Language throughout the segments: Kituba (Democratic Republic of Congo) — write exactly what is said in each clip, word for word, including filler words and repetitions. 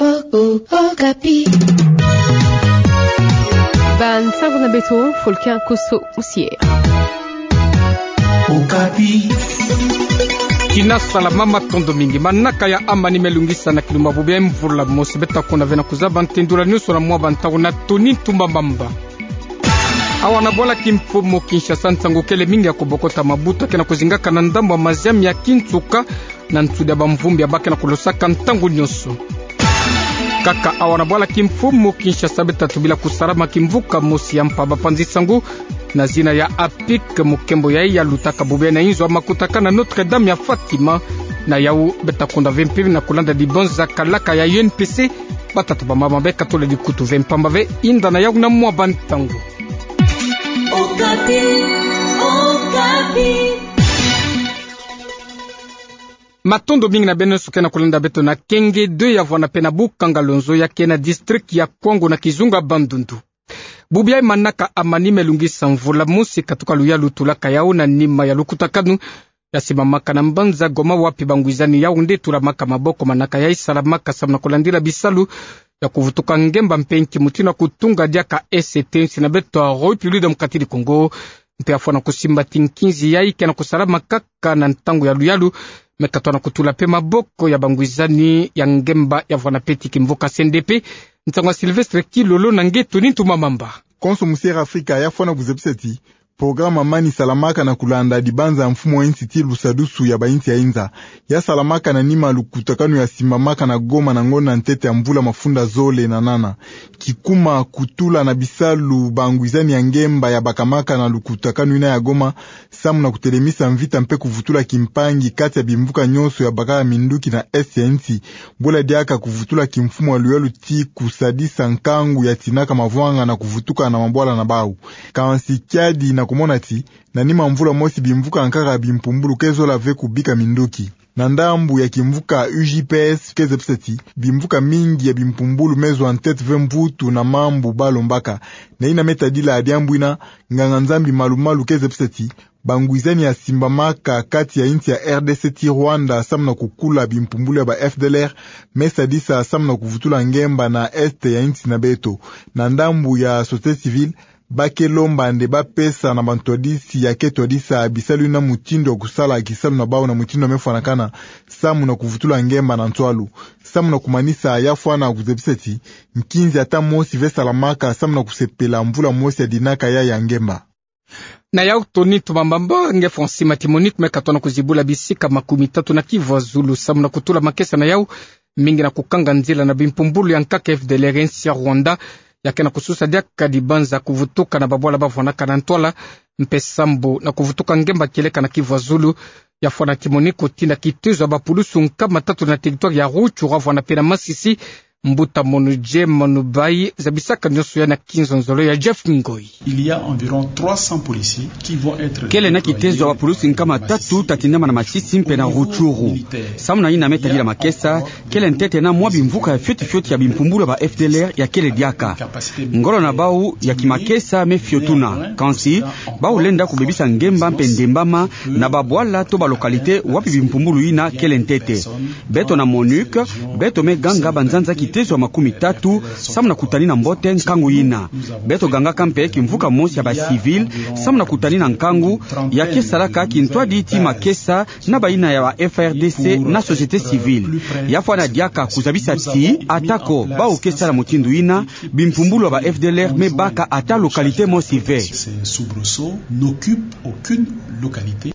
Oh, oh, Okapi. Bansango na beto, Folkin Koso Musier. Okapi. Kina salama, matondo mingi. Manaka ya amani me lungisa na kilumbu bubu ya mvula mosi. Beta konda ve na kuzaba ntendula nyonso na mwa bantangu na Tony Ntumba Mamba. Awa na bwala kimfumu Kinshasa, nsangu kele mingi ya kobokota mabuta ke na kuzingaka na ndambu ya maziami ya kinsuka na nsudi ya bamvumbi ya ba ke na kulosaka ntangu nyonso. Kaka awa na bwala kimfumu Kinshasa, beta tubila kusalama kimvuka mosi ya mpa bapanzi sango na zina ya APIC, mu nkembo yayi ya lutaka bubu ya na inzo ya makutakanu Notre-Dame ya Fatima. Na yau beta konda ve mpe na kulanda dibanza kalaka ya U N P C, batata bamama be katula dikutu ve mpamba ve. Inda na yau na mwa bantangu. Okapi, Okapi. Matondo mingi na beno nyonso ke na kulanda beto na Kenge deux ya vwanda mpe na Bukanga Lonzo ya ke na district ya Kwango na kizunga Bandundu. Bubu yayi manaka amani me lungisa mvula mosi katuka luyalu tulaka yau na nima ya lukutakanu ya simbamaka na mbanza Goma, wapi bangwizani Yaoundé tulamaka maboko. Manaka yayi salamaka samu na kulandila bisalu ya kuvutuka ngemba mpe nki mutindu ya kutunga diaka S T nsi na beto ya République Démocratique du Congo. Mpe ya fwana kusimba ti nkinzi yayi ke na kusalama kaka na ntangu ya luyalu, me katwa na kutula mpe maboko ya bangwizani ya ngemba ya vwanda mpe ti kimvuka C N D P. Nsangu ya Sylvestre Kilolo na nge Tony Ntumba Mamba. Konso Musier Afrika ya fwana kuzebisa ti programa mani salamaka na kulanda dibanza ya mfumu wa insi ti lusadusu ya ba insi ya inza ya salamaka na nima lukutakanu ya simbamaka na Goma na ngonda ntete ya mvula mafunda zole na nana. Kikuma kutula na bisalu bangwizani ya ngemba ya bakamaka na lukutakanu yina ya Goma, samu na kutelemisa mvita mpe kuvutula kimpangi kati ya bimvuka nyonso ya bakaka minduki na est ya insi. Bwela diaka kuvutula kimfumu ya luyalu ti kusadisa nkangu ya tinaka mavwanga na kuvutuka na mabwala na bau. Kansi kiadi na kumona ti na nima mvula mosi bimvuka nkaka bimpumbulu ke zola ve kubika minduki. Na ndambu ya kimvuka U J P S ke zebisa ti bimvuka mingi ya bimpumbulu me zwa ntete ve mvutu na mambu ba lombaka. Na yina me tadila diambu yina, nganga-Nzambi malu-malu ke zebisa ti bangwizani ya simbamaka kati ya insi ya R D C ti Rwanda samu na kukula bimpumbulu ya ba F D L R me sadisa samu na kuvutula ngemba na est ya insi na beto. Na ndambu ya société civile, ba ke lomba nde ba pesa na bantwadisi ya ke twadisa bisalu yina mutindu ya kusala kisalu na bau na mutindu ya me fwanakana samu na kuvutula ngemba na nswalu. Samu na kumanisa, ya fwana kuzebisa ti nkinzi ata mosi ve salamaka samu na kusepela mvula mosi ya dinaka ya ya ngemba. Na yau Tony Ntumba Mamba, nge Francis Matimonite me katwa na kuzibula bisika makumi tatu na Kivu ya zulu samu na kutula makesa na yau, mingi na kukanga nzila na bimpumbulu ya nkaka F D L R ya insi ya Rwanda, ya ke na kususa diaka dibanza kuvutuka na babwala ba vwanaka na ntwala, mpe sambu na kuvutuka ngemba kieleka na Kivu ya zulu. Ya fwana kimoni kutinda kitezo ya bapulusu nkama tatu na territoire ya Rutshuru, vwana mpe na Masisi. Mbuta Monu Jem Monu Bayi zabisaka nyonso ya na kinzonzolo ya Jeff Ngoi. Il y a environ trois cents policiers qui vont être déployés. Kele na kitezo ya bapulusu nkama tatu ta tindama na Masisi mpe na Rutshuru. Samu na yina me tadila makesa, kele ntete na mwa bimvuka ya fioti fioti ya bimpumbulu ya ba F D L R ya kele diaka. Ngolo na bau ya kimakesa me fiotuna. Kansi, bau lenda kubebisa ngemba mpe ndembama na babwala to ba localité wapi bimpumbulu yina kele ntete. Beto na MONUC, beto me ganga banzanza kitezo ya makumi tatu, samu na kutanina mbote nkangu yina. Beto gangaka mpe kimvuka mosi ya ba civil, samu na kutanina nkangu ya ke salaka kintwadi ti makesa na bayina ya ba F A R D C na société civile. Ya fwana diaka kuzabisa ti, atako bau ke sala mutindu yina, bimpumbulu ya ba F D L R me baka ata localité mosi ve. Ces soubresauts n'occupent aucune localité.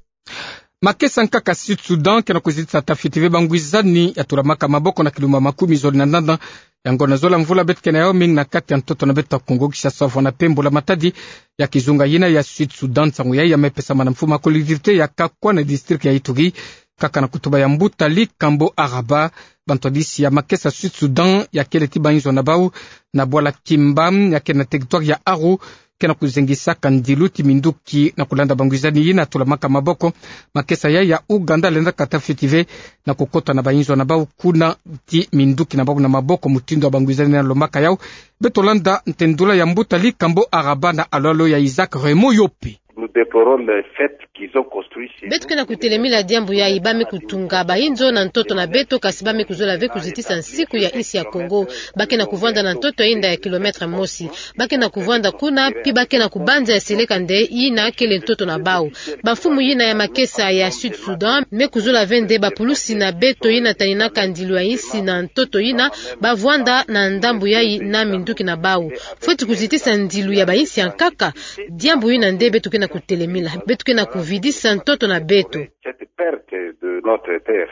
Makesa nkaka Sud-Soudan ke na kuzitisa ata fioti ve bangwizani ya tulamaka maboko na kilumbu makumi zole na nana ya ngonda zola mvula beto ke na yau, mingi na kati ya ntoto na beto ya Kongo-Kinshasa, vwana mpe mbula-matadi ya kizunga yina ya Sud-Soudan. Nsangu yayi ya me pesama na mfumu ya collectivité ya Kakwa na district ya Ituri, kaka na kutuba ya mbuta Likambo Araba. Bantwadisi ya makesa Sud-Soudan ya kele ti bayinzo na bau na bwala Kimba ya ke na territoire ya Aru, ke na kuzengisaka ndilu ti minduki na kulanda bangwizani yina tulamaka maboko. Makesa yayi ya Ouganda lendaka ata fioti ve na kukota na bayinzo na bau kuna ti minduki na bau na maboko mutindu ya bangwizani yina lombaka yau. Beto landa ntendula ya mbuta Likambo Araba na alo-alo ya Isaac Raymond Yope. Déplorons le fait qu'ils ont construit ces... Beto ke na kutelemila diambu yayi, ba me kutunga bainzo na ntoto na beto, kasi ba me kuzola ve kuzitisa nsiku ya insi ya Kongo. Ba ke na kuvwanda na ntoto ya inda ya kilomètre mosi. Ba ke na kuvwanda kuna, pi ba ke na kubanza ya seleka nde yina kele ntoto na bau. Bamfumu yina ya makesa ya Sud Soudan me kuzola ve nde bapulusi na beto yina taninaka ndilu ya insi na ntoto yina, ba vwanda na ndambu yayi na minduki na bau. Fweti kuzitisa ndilu ya bainsi ya nkaka. Diambu yina nde beto ke na kutelemila. Beto ke na kuvidisa ntoto na beto. Cette perte de notre terre.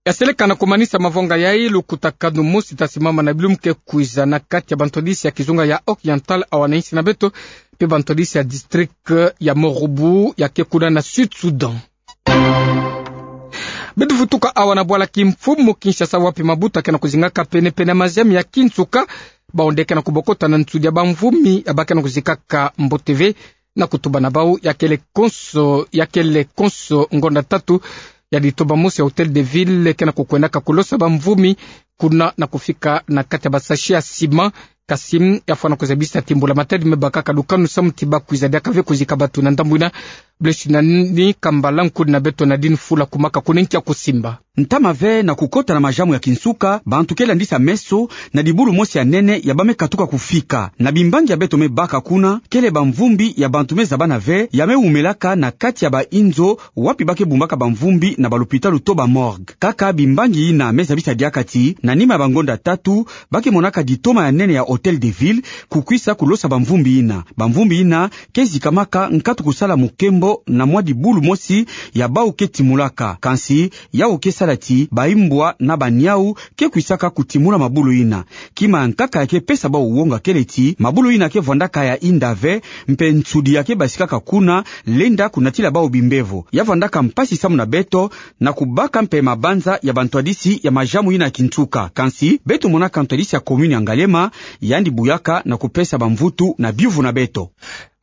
Ya seleka na kumanisa mavanga yayi, lukutakanu mosi ta simama na bilumbu ke kwiza na kati ya bantwadisi ya kizunga ya Oriental awa na insi na beto, pe bantwadisi ya district ya Morobo ya ke kuna na Sud Soudan. Beto vutuka awa na bwala kimfumu Kinshasa, wapi mabuta ke na kuzingaka pene-pene ya maziami ya kinsuka. Bawu nde ke na kubokota na nsudi ya bamvumi ya ba ke na kuzikaka mbote ve, na kutuba na bau ya kele konso, ya kele konso ngonda tatu ya ditoba mosi ya Hôtel de Ville ke na kukwendaka kulosa bamvumi kuna na kufika na kati ya basashi ya sima. Kasi ya fwana kuzabisa ti mbula-matadi me bakaka lukanu samu ti ba kwiza diaka ve kuzika batu na ndambu yina. Blaise Nani Kambala, nkudi na beto Nadine Fula kumaka kuna nki ya kusimba. Ntama ve na kukota na maziamu ya kinsuka, bantu ke landisa meso na dibulu mosi ya nene ya ba me katuka kufika. Na bimbangi ya beto me baka kuna, kele bamvumbi ya bantu me zabana ve, ya me wumelaka na kati ya bainzo wapi ba ke bumbaka bamvumbi na balopitalu to bamorgue. Kaka bimbangi yina me zabisa diaka ti, na nima ya bangonda tatu, ba ke monaka ditoma ya nene ya Hôtel de Ville kukwisa kulosa bamvumbi yina. Bamvumbi yina ke zikamaka nkatu kusala mukembo na mwa dibulu mosi ya bawu ke timulaka. Kansi, yawu ke sala ti baimbwa na baniawu ke kwisaka kutimula mabulu yina. Kima ya nkaka ya ke pesa bawu wonga kele ti, mabulu yina ke vwandaka ya inda ve, mpe nsudi ya ke basikaka kuna lenda kunatila bawu bimbevo. Ya vwandaka mpasi samu na beto na kubaka mpe mabanza ya bantwadisi ya maziamu yina ya kinsuka. Kansi, beto monaka ntwadisi ya commune ya Ngaliema, yandi buyaka na kupesa bamvutu na biyuvu na beto.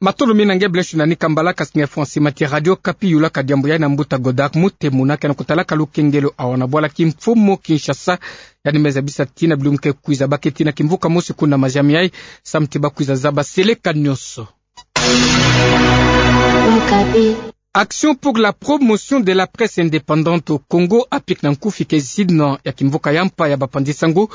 Matondo mingi na nge Blaise Nani Kambala, kasi nge Francis Mati, Radio Okapi, yulaka diambu yayi na mbuta Godard Mutemuna ke na kutalaka lukengelo awa na bwala kimfumu Kinshasa. Yandi me zabisa ti na bilumbu ke kwiza ba ke ti na kimvuka mosi kuna maziami yayi, samu ti ba kwiza zaba seleka nyonso. Action pour la promotion de la presse indépendante au Congo, APIC na nkufi, ke zina ya kimvuka ya mpa ya bapanzi sango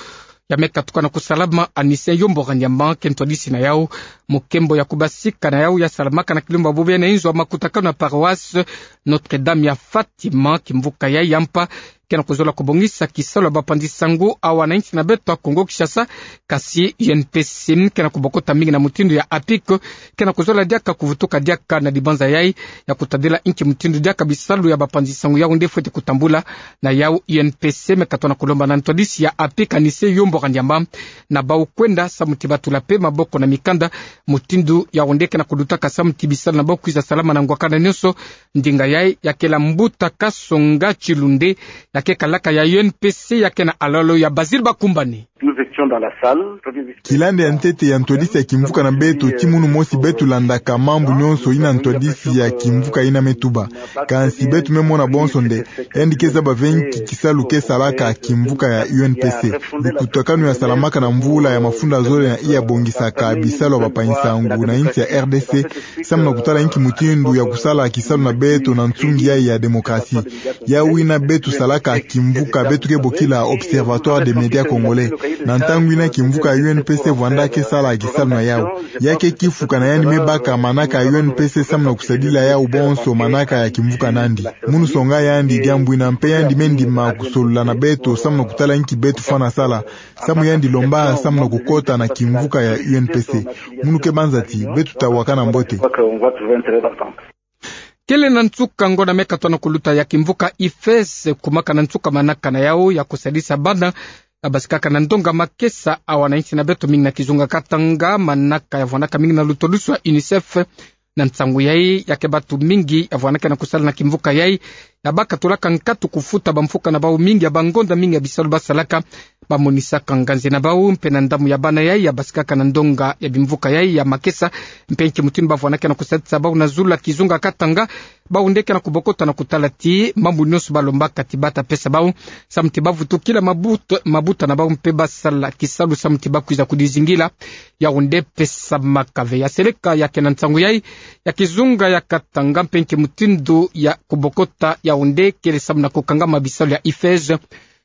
ya me katuka na kusalama. Anise Yombo Ranyama ke ntwadisi na yawu. Mukembo ya kubasika na yawu ya salamaka na kilumbu bobo yayi na inzo ya makutakanu na paroisse Notre-Dame ya Fatima. Kimvuka yayi ya mpa ke na kuzola kubongisa kisalu ya bapanzi sango awa na insi na beto ya Kongo Kinshasa, kasi U N P C ke na kubokota mingi na mutindu ya APIC ke na kuzola diaka kuvutuka diaka na dibanza yayi ya kutadila inki mutindu diaka bisalu ya bapanzi sango yawu nde fweti kutambula. Na yawu U N P C me katuka na kulomba na ntwadisi ya APIC Anise Yombo Ranyama na bawu kwenda samu ti ba tula pe maboko na mikanda. Mutindu yawu nde ke na kudutaka samu ti bisalu na bawu kwiza salama na ngwakana nyonso. Ndinga yayi ya kela mbuta Kasonga Chilunde, ya ke kalaka ya U N P C, ya ke na alalo ya Basile Bakumbani. Nous étions dans la salle. Kila nde ya ntete ya ntwadisi ya kimvuka na beto, ti munu mosi beto landaka mambu nyonso yina ntwadisi ya kimvuka yina me tuba. Kansi beto me mona bonso nde yandi ke zaba ve nki kisalu ke salaka kimvuka ya U N P C. Lukutakanu ya salamaka na mvula ya mafunda zole na iya bongisaka bisalu ya bapanzi sango na insi ya R D C, samu na kutala inki mutindu ya kusala kisalu na beto na nsungi yayi ya démocratie. Yawu yina beto salaka kimvuka, beto ke bokila Observatoire des médias congolais. Na ntangu yina kimvuka ya U N P C vwanda ke sala kisalu na yawu. Ya ke kifukana yandi me baka manaka ya U N P C samu na kusadila yawu bonso manaka ya kimvuka nandi. Munu songa yandi diambu yina mpe yandi me ndima kusolola na beto samu na kutala inki beto fwana sala. Samu yandi lomba samu na kukota na kimvuka ya U N P C. Munu ke banza ti beto ta wakana mbote. Kele na nsuka ngonda me katuka na kuluta ya kimvuka I F E S, kumaka na nsuka manaka na yawu ya kusadisa bana na basikaka na ndonga makesa awa na insi na beto, mingi na kizunga Katanga, manaka ya vwandaka mingi na lutodisu ya UNICEF. Na nsangu yayi, ya ke batu mingi ya vwandaka na kusala na kimvuka yayi, ya bakatulaka nkatu kufuta bamfuka na bau mingi ya bangonda mingi ya bisalu basalaka. Bamonisaka nganzi na bau mpe na ndamu ya bana yai ya basikaka na ndonga ya bimvuka yai ya makesa, mpe nki mutindu bavwanaka na kusadisa bau na zulu ya kizunga Katanga. Bau nde ke na kubokota na kutala ti mambu nyonso balombaka ti bata pesa bau, samu ti bavutukila mabuta, mabuta na bau mpe basala kisalu samu ti bakwiza kudizingila. Yau nde pesamaka ve ya seleka ya ke na nsangu yai ya kizunga ya Katanga mpe nki mutindu ya kubokota yau nde kele samu na kukangama bisalu ya IFEJ.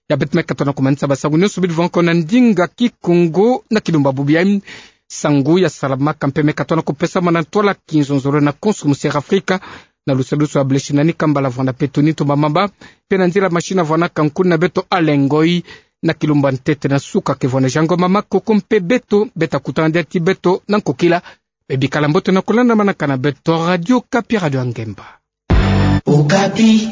Ya beto me katona kumanisa basangu nyonso bidi vwa ko na ndinga Kikongo na kilumbu bubu yai. Nsangu ya salamaka mpe me katona kupesamana na ntwala kinzonzolo na Konso Musi Afrika, na lusadusu ya Bleshina ni kambala vwanda peto ni tumba mamba, mpe na nzila mashini vwanaka nkuni na beto Alengoi, na kilumbu ntete na suka ke vwanda jango mama koko mpe beto, beta kutana diati beto na nkokila. Bebikala mbote na kulandamanaka na beto Radio Okapi, Radio ya Ngemba. Okapi.